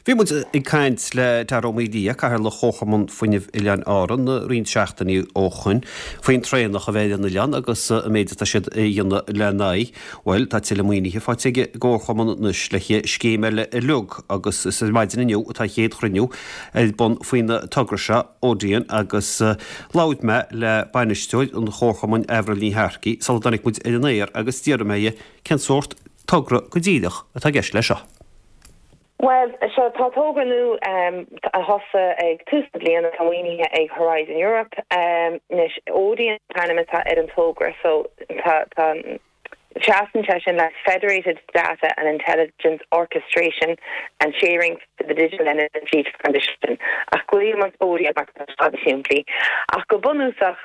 Bhí muid ag caint le Dara Ó Maolaodha, Cathaoirleach Chomharchumann Fuinnimh Oileáin Árann, roinnt seachtainí ó shoin faoin traonach a bheidh ar an oileán agus an méid atá siad a dhéanamh lena aghaidh. Bhuel, tá tuilleadh maoinithe faighte ag an gComharchumann anois le scéim eile a leag agus is ar maidin inniu atá an chéad chruinniú ar bun faoin togra seo, Odeon, agus labhair mé le bainisteoir an Chomharchumainn Avril Ní Shearcaigh sula dtáinig muid ar an aer agus d'fhiafraigh mé dhi cén sórt togra go díreach atá i gceist leis seo. Bhuel, seo, tá togra nua a thosaigh ag tús na bliana, atá maoinithe ag Horizon Europe. Anois, Odeon an t-ainm atá ar an togra, so tá, tá, seasann sé sin le Federated Data and Intelligence Orchestration and Sharing for the Digital Energy Transition, ach glaonn muid Odeon mar tá sé níos simplí. Ach go bunúsach,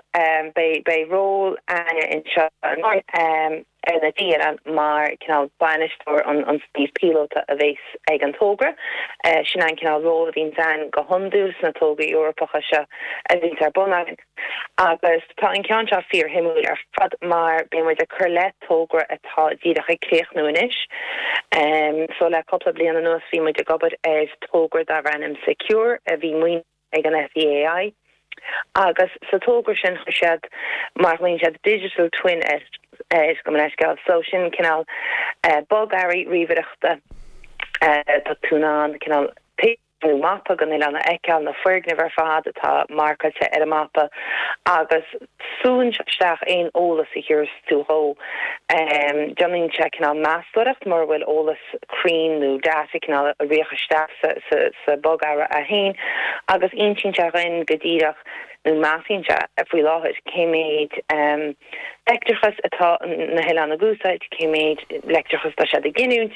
beidh, beidh ról againne anseo in Árainn, ar na trí oileán mar cineál bainisteoir an suímh píolóta a bheas ag an togra. Sin an cineál ról a bhíonns ann go hiondúil sna tograí Eorpacha seo a bhíonns ar bun againn. Agus tá an ceann seo fíorshuimiúil ar fad mar beidh muid ag cur le togra atá díreach ag críochnú anois. So le cúpla bliain anuas bhí muid ag obair ar togra darbh ainm Secure a bhí maoinithe ag an SEAI agus sa togra sin chuir siad mar a ghlaonn siad digital twin air, gabh mo leithscéal. So sin cineál bogearraí ríomhaireachta tá tú in ann cineál pictiúr nó mapa den oileán a fheiceáil, na foirgnimh ar fad atá marcáilte ar an mapa agus súnn sé isteach aon eolas a thabharfas tú dhó. Déanann sé cineál meastóireacht mura bhfuil eolas cruinn nó data cineál a rith isteach sa bogearra é féin agus insíonn sé dhuinn go díreach nó measann sé faoi láthair cé méid leictreachas atá na hoileáin ag úsáid, cé méid leictreachas atá siad ag giniúint,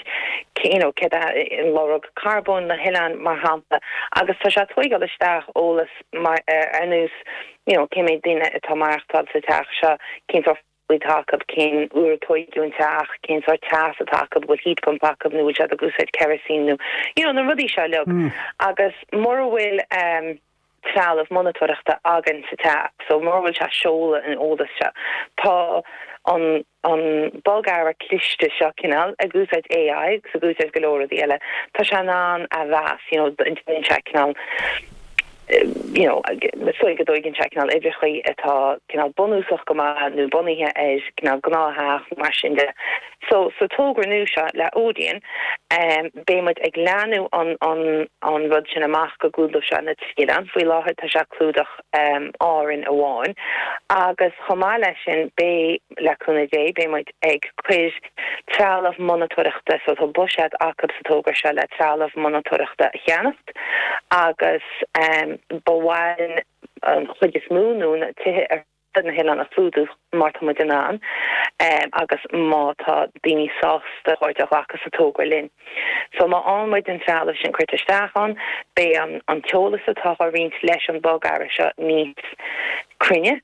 you know céard é an lorg carbóin na hoileáin mar shampla agus tá sé ag tóigeáil isteach eolas mar ar nós you know cé méid daoine atá maireachtáil sa teach seo, cén sórt atá acu, cén uair a tóigeadh an teach, cén sórt teas atá acu, bhfuil heat pump acu nó bhfuil siad ag úsáid kerosene nó you know na rudaí seo uilig. Agus mura bhfuil ehm trealamh monatóireachta againn sa teach, so mura bhfuil sé ag seoladh an eolas seo, tá an an bogearra cliste seo cineál ag úsáid AI agus ag úsáid go leor rudaí eile, tá sé in ann a mheas, you know, déanann sé cineál you know, is dóigh go dtóigeann sé cineál uimhreachaí atá cineál bunúsach go maith nó bunaithe ar cineál gnáth-theach nó mar sin de. So, sa togra nua seo le Odeon, beidh muid ag leathnú an, an, an rud sin amach go gclúdóidh sé na trí oileán. Faoi láthair tá sé ag clúdach Árainn amháin agus chomh maith leis sin beidh, le cúnamh Dé, beidh muid ag cur trealamh monatóireachta, so tá buiséad acu sa togra seo le trealamh monatóireachta a cheannacht. Agus ba mhaith linn an chuid is mó nó na tithe ar fud na hoileáin a chlúdú má tá muid in ann agus má tá daoine sásta páirt a ghlacadh sa togra linn. So má fhaigheann muid an trealamh sin curtha isteach ann, beidh an t-eolas atá á roinnt leis an bogearra seo níos cruinne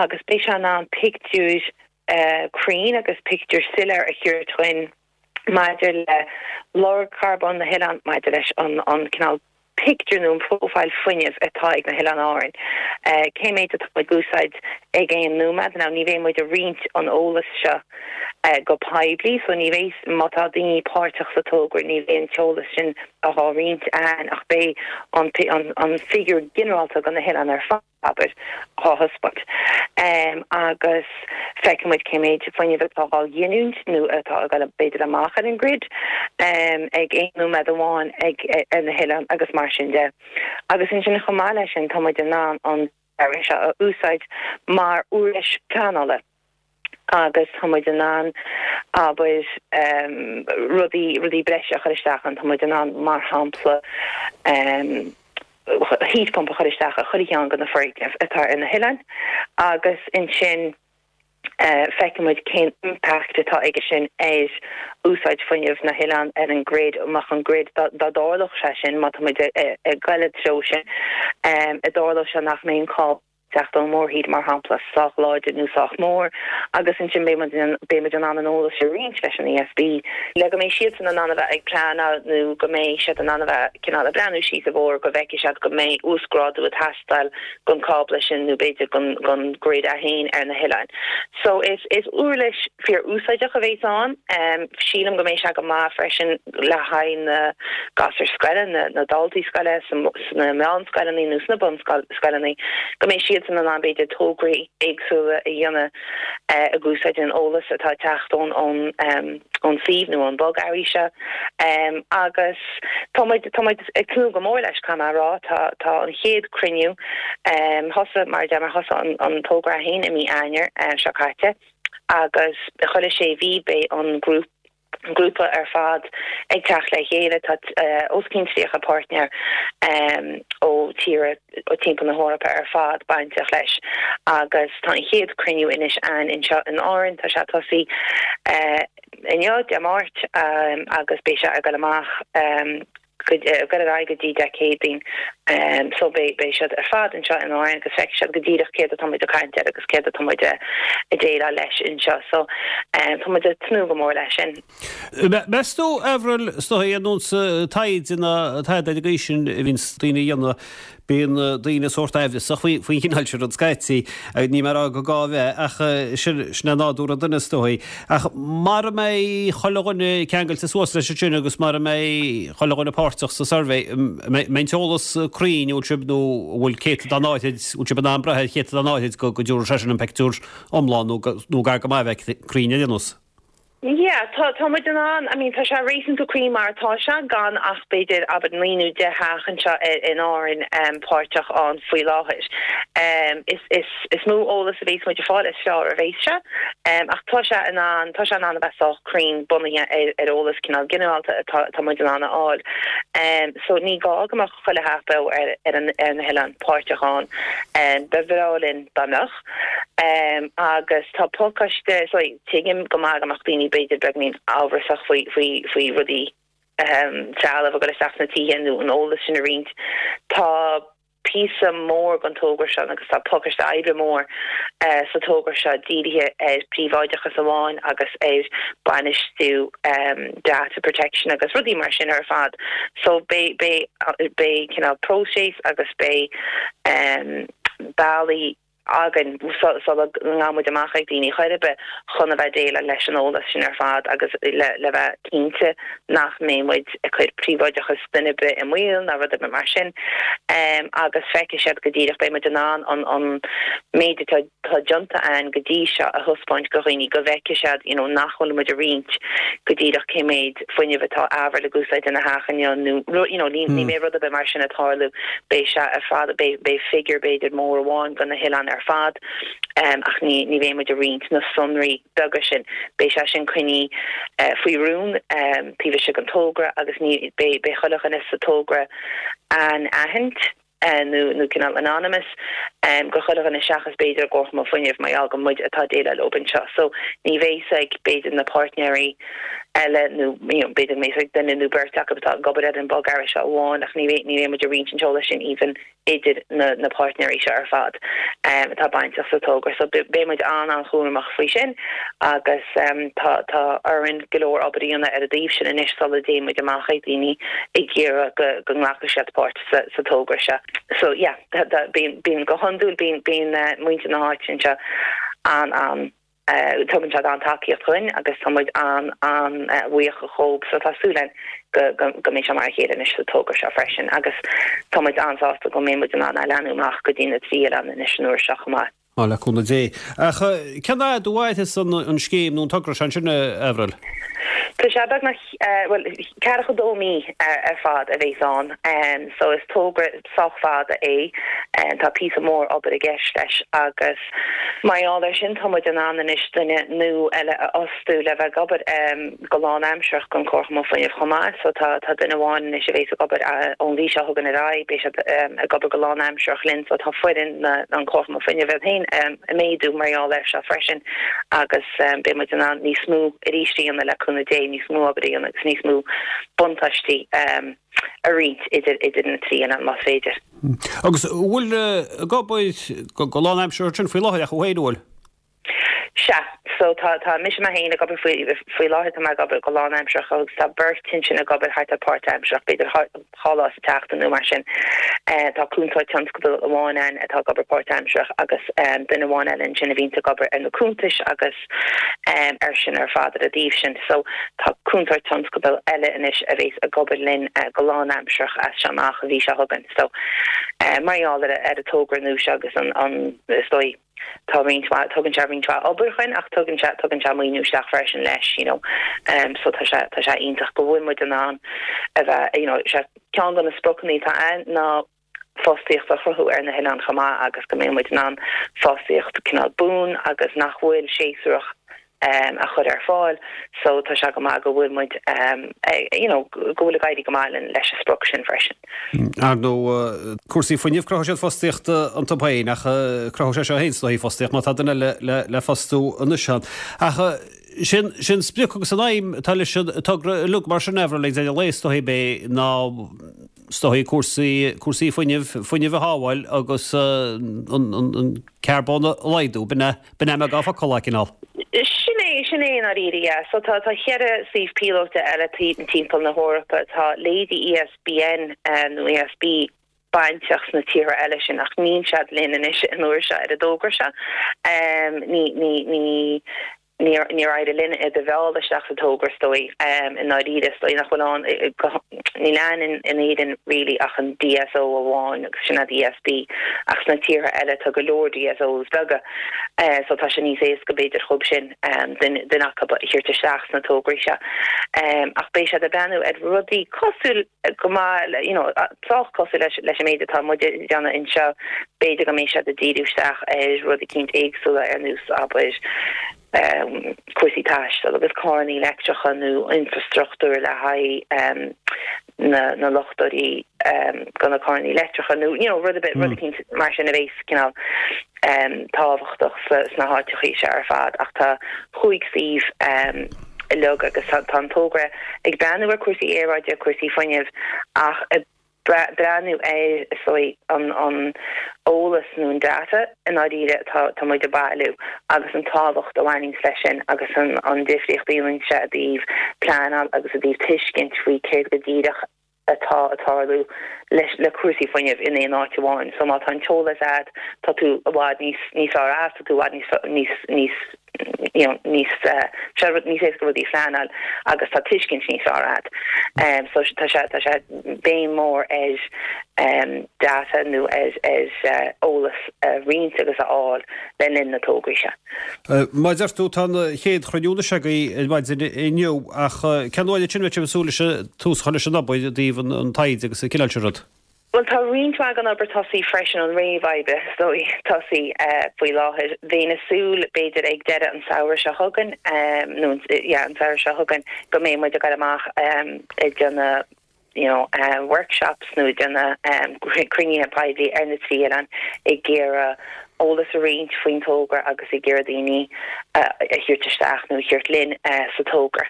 agus beidh sé in ann pictiúr cruinn agus pictiúr soiléir a thabhairt dhuinn maidir le lorg carbóin na hoileán, maidir leis an cineál pictiúr nó an profile fuinnimh atá ag na hOileáin Árann, cé méid atá ag úsáid ag aon nóiméad. Now ní bheidh muid ag roinnt an eolas seo go poiblí, so ní bheidh, má tá daoine páirteach sa togra, ní bheidh an t-eolas sin á roinnt againn ach beidh an figiúr ginearálta do na hoileáin ar fad. abair, á thaispeáint. Agus feicfidh muid cé méid fuinnimh atá á ghiniúint nó atá ag dul b'fhéidir amach ar an grid ag aon nóiméad amháin ag ar na hoileáin agus mar sin de. Agus ansin chomh maith leis sin tá muid in ann an bogearra seo a úsáid mar uirlis pleanála. agus tá muid in ann, abair, rudaí, rudaí breise a chur isteach ann. Tá muid in ann, mar shampla, heat pump a chur isteach i chuile cheann de na foirgnimh atá ar na hoileáin agus ansin feicfidh muid cén impact atá aige sin ar úsáid fuinnimh na hoileán, ar an grid, amach an grid, dá dtarlódh sé sin, má tá muid ag goil i dtreo sin, a dtarlódh sé nach mbeidh an cábla. teacht ón mórthír, mar shampla, sách láidir nó sách mór, agus ansin beidh muid beidh muid in ann an eolas a roinnt leis an ESB le go mbeidh siadsan in ann a bheith ag pleanáil nó go mbeidh siad in ann a bheith cineál ag breathnú síos an bóthar go bhfeicfidh siad go mbeidh uasghrádú ag teastáil don cábla sin nó b'fhéidir don don grid é féin ar na hoileáin. So is is uirlis fíor-úsáideach a bhéas ann. Sílim go mbeidh sé go maith freisin le haghaidh na gasúir scoile, na na daltaí scoile sna meánscoileanna nó sna bunscoileanna, go mbeidh siadsan in ann b'fhéidir tograí éagsúla a dhéanamh ag úsáid an eolas atá ag teacht ón ón ón suíomh nó ón bogearraí seo. Agus tá muid tá muid ag tnúth go mór leis, caithfidh mé a rá. Tá tá an chéad cruinniú thosaigh mar a deir mé thosaigh an an togra é féin i mí Eanáir seo caite agus chuile sé mhí beidh an grúp grúpa ar fad ag teacht le chéile. Tá os cionn 30 páirtnéir ó tíortha ó timpeall na hEorpa ar fad bainteach leis agus tá an chéad cruinniú anois ann anseo in Árainn. Tá sé ag tosaí inniu, Dé Máirt, agus beidh sé ag dul amach ag dul ar aghaidh go dtí Dé Céadaoin. So beidh beidh siad ar fad anseo in Árainn agus feicfidh siad go díreach céard atá muid ag caint air agus céard atá muid ag déileáil leis anseo. So tá muid ag tnúth go mór leis sin. Meas tú, Avril, is dóigh, ar nós taighde ná tada ar an gcaoi sin a bhíonns daoine a dhéanamh, bíonn daoine sórt aimhreasach faoin chineál sin rud scaití. Níl mé ag rá gur gá a bheith, ach sin é nádúr an duine is dóigh. Ach mara mbeidh chuile dhuine ceangailte suas leis ansin agus mara mbeidh chuile dhuine páirteach sa suirbhé, mbeidh an t-eolas cruinn, an bhfuil sibh, nó an bhfuil céatadán áithrid, an bhfuil sibh in ann brath ar chéatadán áithrid go dtabharfaidh sé sin an pictiúr iomlán nó nó gar go maith a bheith cruinn ar aon nós? Yeah, tá, tá muid in ann, I mean tá sé réasúnta cruinn mar atá sé, gan ach b'fhéidir, abair, 9 nó 10 theach anseo in Árainn páirteach ann faoi láthair. Is, is, is mó eolas a bhéas muid ag fáil, is fearr a bhéas sé. Ach tá sé in ann, tá sé in ann a bheith sách cruinn bunaithe ar, ar eolas cineál ginearálta atá, atá muid in ann a fháil. So ní gá go mbeadh chuile theach beo ar, ar an, ar na hoileáin páirteach ann. Ba bhreá linn dá mbeadh. Agus tá pacáiste, so, Tuigim go maith go mbeadh daoine b'fhéidir beagainín amhrasach faoi faoi faoi rudaí trealamh a dhul isteach sna tithe nó an eolas sin a roinnt. Tá píosa mór den togra seo agus tá pacáiste oibre mór sa togra seo dírithe ar príobháideachas amháin agus ar bainistiú data protection agus rudaí mar sin ar fad. So beidh beidh beidh cineál próiseas agus beidh bealaí againn sula ngabhann muid amach ag daoine chor ar bith chun a bheith déileáil leis an eolas sin ar fad agus le le bheith cinnte nach mbeidh muid ag cur príobháideachas duine ar bith i mbaol ná rud ar bith mar sin agus feicfidh siad go díreach beidh muid in ann an an méid atá atá déanta againn go dtí seo a thaispeáint go dhaoine go bhfeicfidh siad you know nach bhfuil muid ag roinnt go díreach cé méid fuinnimh atá Avril ag úsáid ina theach inniu nó you know ní ní mbeidh rud ar bith mar sin ag tarlú beidh sé ar fad beidh beidh figure b'fhéidir mór amháin do na hoileáin ar fad ach ní ní bheidh muid ag roinnt na sonraí beaga sin beidh sé sin coinnithe faoi rún taobh istigh den togra agus ní beidh beidh chuile dhuine sa togra anaithint nó nó cineál anonymous go chuile dhuine seachas b'fhéidir an Comharchumann Fuinnimh mar gheall gur muid atá ag déileáil leob anseo. So ní bheidh fhios ag b'fhéidir na páirtnéirí eile nó you know b'fhéidir go mbeidh fhios ag duine nó beirt acu atá ag obair ar an bogearra seo amháin ach ní bheidh ní bheidh muid ag roinnt an t-eolas sin even idir na na páirtnéirí seo ar fad atá bainteach sa togra. So beidh muid an-an-chúramach faoi sin agus tá tá orainn go leor obair a dhéanamh ar an dtaobh sin anois sula dtéann muid amach ag daoine ag iarraidh go go nglacfaidh siad páirt sa sa togra seo. So yeah, bíonn bíonn go hiondúil bíonn bíonn muintir na háite anseo an an tugann siad an-tacaíocht dhúinn agus tá muid an an-bhuíoch dhóibh so tá súil againn go go go mbeidh sé mar a chéile anois sa togra seo freisin agus tá muid an-sásta go mbeidh muid in ann é a leathnú amach go dtí na trí oileán anois an uair seo chomh maith. Á, le cúnamh Dé. Ach cén fhad a mhairfeas an scéim nó an togra seo ansin, a Avril? Tá sé beagnach, bhuel, ceathracha dó mí ar fad a bhéas ann. So is togra sách fada é. Tá píosa mór obair i gceist leis agus mar gheall air sin tá muid in ann anois duine nua eile a fhostú le bheith ag obair. go lánaimsearach don Chomharchumann Fuinnimh chomh maith. So tá tá duine amháin anois a bhéas ag obair ón mhí seo chugainn ar aghaidh, beidh siad ag obair go lánaimsearach linn. So tá foireann na an Chomharchumann Fuinnimh iad féin ag méadú mar gheall air seo freisin agus beidh muid in ann níos mó arís a dhéanamh le cúnamh Dé, níos mó obair a dhéanamh agus níos mó buntáistí. a roinnt idir idir na 3 oileán más féidir. Agus an bhfuil ag obair go lánaimseartha ansin faoi láthair ach thú féin, an bhfuil? Sea. So tá, tá mise mé féin ag obair faoi, faoi láthair tá mé ag obair go lánaimsearach agus tá beirt ansin ag obair thart ar páirtaimsearach, b'fhéidir 2 lá sa tseachtain nó mar sin. Tá cúntóir tionscadail amháin ann atá ag obair páirtaimsearach agus duine amháin eile ansin a bhíonns ag obair ar na cuntais agus ar sin ar fad ar an dtaobh sin. So tá cúntóir tionscadail eile anois a bhéas ag obair linn go lánaimsearach as seo amach an mhí seo chugainn. So mar gheall ar an togra nua seo agus an, is dóigh, Tá roinnt mhaith, tugann sé roinnt mhaith obair chugainn ach tugann sé, tugann sé maoiniú isteach freisin leis, you know. So tá sé, tá sé iontach go bhfuil muid in ann a bheith, you know, sé ceann de na spriocanna atá ann ná fostaíocht a chruthú ar na hoileáin chomh maith agus go mbeidh muid in ann fostaíocht cineál buan agus nach bhfuil séasúrach a chur ar fáil so tá sé go maith go bhfuil muid you know go bhfuil ag éirí go maith linn leis an sprioc sin freisin. Ar ndóigh, cúrsaí fuinnimh, cruthóidh siad fostaíocht iontu féin ach cruthóidh sé seo féin is dóigh fostaíocht má tá duine eile le fostú anois ann. Ach sin sin sprioc agus an aidhm atá leis an togra uilig mar sin Avril ag deireadh an lae is dóigh b'é ná is dóigh cúrsaí cúrsaí fuinnimh fuinneamh a shábháil agus an an carbón a laghdú. B'in é B'in é i mbeagán focal é, cineál. Sin é, sin é i ndáiríre, yeah. So tá, tá cheithre suíomh píolóta eile timpeall na hEorpa. Tá leithéidí ESBN nó ESB bainteach sna tíortha eile sin ach níl siad linn anois an uair seo ar an dtogra seo. Ní, ní, ní, níor, níor éirigh linn iad a mhealladh isteach sa togra is dóigh, i ndáiríre. Is dóigh nach bhfuil ann, níl ann in, in Éirinn really ach an DSO amháin agus sin iad ESB ach sna tíortha eile tá go leor DSOs beaga. So tá sé níos éasca b'fhéidir dhóibh sin duine acu a thabhairt isteach sna tograí seo. Ach beidh siad ag breathnú ar rudaí cosúil go maith le, you know, sách cosúil leis leis an méid atá muid ag déanamh anseo. B'fhéidir go mbeidh siad ag díriú isteach ar rudaí eicínt éagsúla ar nós, abair, cúrsaí taistil agus carrannaí leictreacha nó infreastruchtúr le haghaidh na luchtóirí do na carrannaí leictreacha nó you know rud ar bith, rud eicínt mar sin a bhéas cineál tábhachtach sna háiteachaí seo ar fad. Ach tá chúig suíomh uilig agus tá an togra ag breathnú ar cúrsaí aeráide, cúrsaí fuinnimh ach ag breathnú ar, is dóigh, an an eolas nó an data i ndáiríre atá tá muid ag bailiú agus an tábhacht a bhaineanns leis sin agus an an difríocht a dhéanann sé i dtaobh pleanáil agus i dtaobh tuiscint faoi céard go díreach atá ag tarlú leis le cúrsaí fuinnimh in aon áit amháin. So má tá an t-eolas a'd tá tú i bhfad níos níos fearr as, tá tú i bhfad níos níos níos you know níos sé rud níos éasca rudaí a phleanáil agus tá tuiscint níos fearr a'd. So tá sé tá sé béim mór ar data nó ar ar eolas a roinnt agus a fháil le linn na tograí seo. Mar a deir tú tá an chéad chruinniú anois agaibh ar maidin inniu ach cén uair ansin a bheidh sibh ag súil leis tús a chur leis an obair i dtaobh an taighde agus an cineál sin rud? Bhuel, tá roinnt mhaith den obair tosaithe freisin, an réamhoibre, is dóigh, tosaithe faoi láthair. Bheinn ag súil, b'fhéidir, ag deireadh an samhradh seo chugainn, nó, yeah, an samhradh seo chugainn, go mbeidh muid ag dul amach ag déanamh, you know, workshops nó ag déanamh cruinnithe poiblí ar na trí oileán ag iarraidh eolas a roinnt faoin togra agus ag iarraidh daoine a thabhairt isteach nó a thabhairt linn sa togra.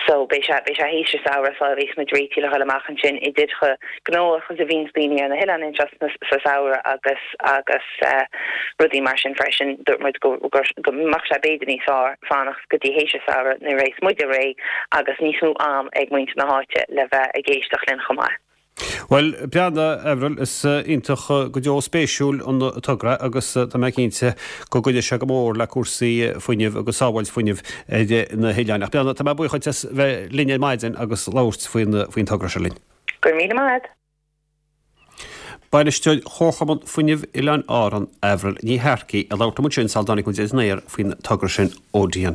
So beidh sé beidh sé théis an samhradh sula bheas muid réitithe le dhul amach ansin idir chomh gnóthach is a bhíonns daoine ar na hoileáin anseo sa samhradh agus agus rudaí mar sin freisin. Dúirt muid go go go mbeadh sé b'fhéidir níos fearr fanacht go dtí théis an samhradh nuair a bheas muide réidh agus níos mó am ag muintir na háite le bheith ag éisteacht linn chomh maith. Bhuel, breathnaigh, Avril, is iontach go deo spéisiúil an togra agus tá mé cinnte go gcuideoidh sé go mór le cúrsaí fuinnimh agus sábháilt fuinnimh ar na hoileáin. Ach breathnaigh, tá mé buíoch duit as bheith linn ar maidin agus labhairt faoin togra seo linn. Go raibh míle maith agat. Bainisteoir Chomharchumann Fuinnimh Oileáin Árann, Avril Ní Shearcaigh, ag labhairt liom ansin sula dtáinig muid ar an aer faoin togra sin Odeon.